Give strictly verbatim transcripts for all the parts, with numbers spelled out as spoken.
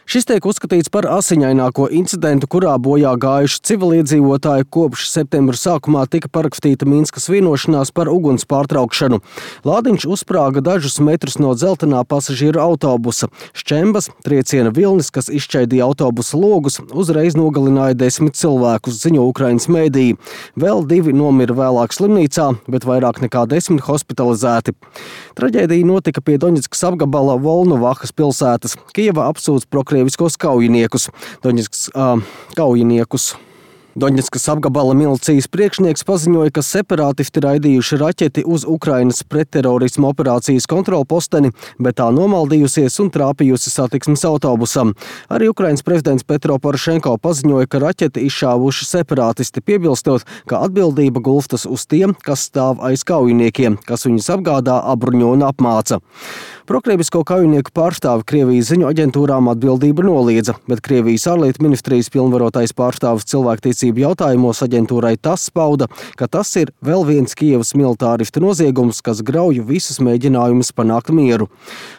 Šis tiek uzskatīts par asiņaināko incidentu, kurā bojā gājuši civiliedzīvotāji kopš septembra sākumā tika parakstīta Minskas vienošanās par uguns pārtraukšanu. Lādiņš uzsprāga dažus metrus no dzeltenā pasažieru autobusa. Šķembas, trieciena vilnis, kas izšķaidīja autobusa logus, uzreiz nogalināja desmit cilvēkus, ziņo Ukrainas mēdīji. Vēl divi nomira vēlāk slimnīcā, bet vairāk nekā desmit hospitalizēti. Traģēdija notika pie Doņetskas apgabala Volnovahas pilsētas. Kijeva apsūdz prokrieviskos kaujiniekus. Doņetskas uh, kaujiniekus. Doņetskas apgabala milicijas priekšnieks paziņoja, ka separātisti raidījuši raķeti uz Ukrainas pretterorisma operācijas kontrolposteni, bet tā nomaldījusies un trāpījusi satiksmes autobusam. Arī Ukrainas prezidents Petro Porošenko paziņoja, ka raķeti izšāvuši separātisti, piebilstot, ka atbildība gulstas uz tiem, kas stāv aiz kaujiniekiem, kas viņus apgādā, apbruņo un apmāca. Prokrievisko kaujinieku pārstāvi Krievijas ziņu aģentūrām atbildību noliedza, bet Krievijas ārlietu ministrijas pilnvarotais pārstāvis cilvēktiesību jautājumos aģentūrai tas pauda, ka tas ir vēl viens Kijevas militāristu noziegums, kas grauj visus mēģinājumus panākt mieru.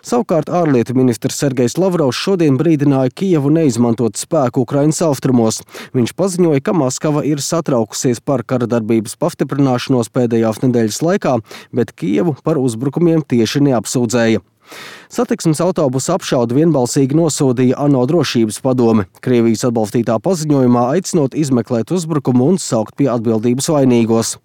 Savukārt ārlietu ministrs Sergejs Lavrovs šodien brīdināja Kijevu neizmantot spēku Ukrainas austrumos. Viņš paziņoja, ka Maskava ir satraukusies par karadarbības pastiprināšanos pēdējās nedēļas laikā, bet Kijevu par uzbrukumiem tieši neapsūdzēja. Satiksmes autobusu apšaudu vienbalsīgi nosodīja ANO drošības padome. Krievijas atbalstītā paziņojumā aicinot izmeklēt uzbrukumu un saukt pie atbildības vainīgos.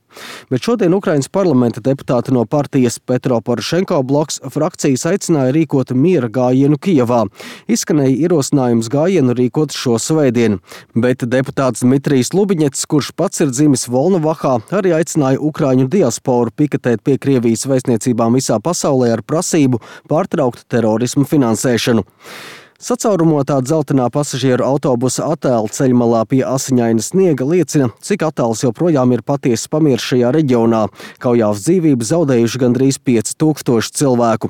Bet šodien Ukrainas parlamenta deputāti no partijas Petro Porošenko bloks frakcijas aicināja rīkot miera gājienu Kijevā. Izskanēja ierosinājums gājienu rīkot šo svētdienu. Bet deputāts Dmitrijs Lubiņets, kurš pats ir dzimis Volnovahā, arī aicināja ukraiņu diasporu piketēt pie Krievijas vēstniecībām visā pasaulē ar prasību pārtraukt terorismu finansēšanu. Sacaurumotā dzeltenā pasažieru autobusa attēli ceļmalā pie asiņaina sniega liecina, cik attēls joprojām ir patiesas pamiers šajā reģionā. Kaujās dzīvību zaudējuši gandrīz pieci tūkstoši cilvēku.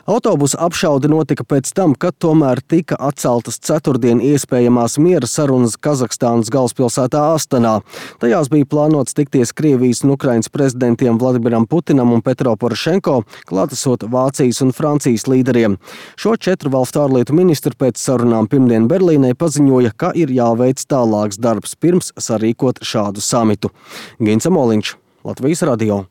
Autobusa apšaude notika pēc tam, kad tomēr tika atceltas ceturtdien iespējamās miera sarunas Kazahstānas galvaspilsētā Astanā. Tajās bija plānots tikties Krievijas un Ukrainas prezidentiem Vladimiram Putinam un Petro Porošenko, klātesot Vācijas un Francijas līderiem. Šo četru valstu ārlietu ministru pēc sarunām pirmdien Berlīnē paziņoja, ka ir jāveic tālāks darbs pirms sarīkot šādu samitu. Gins Amoliņš, Latvijas radio.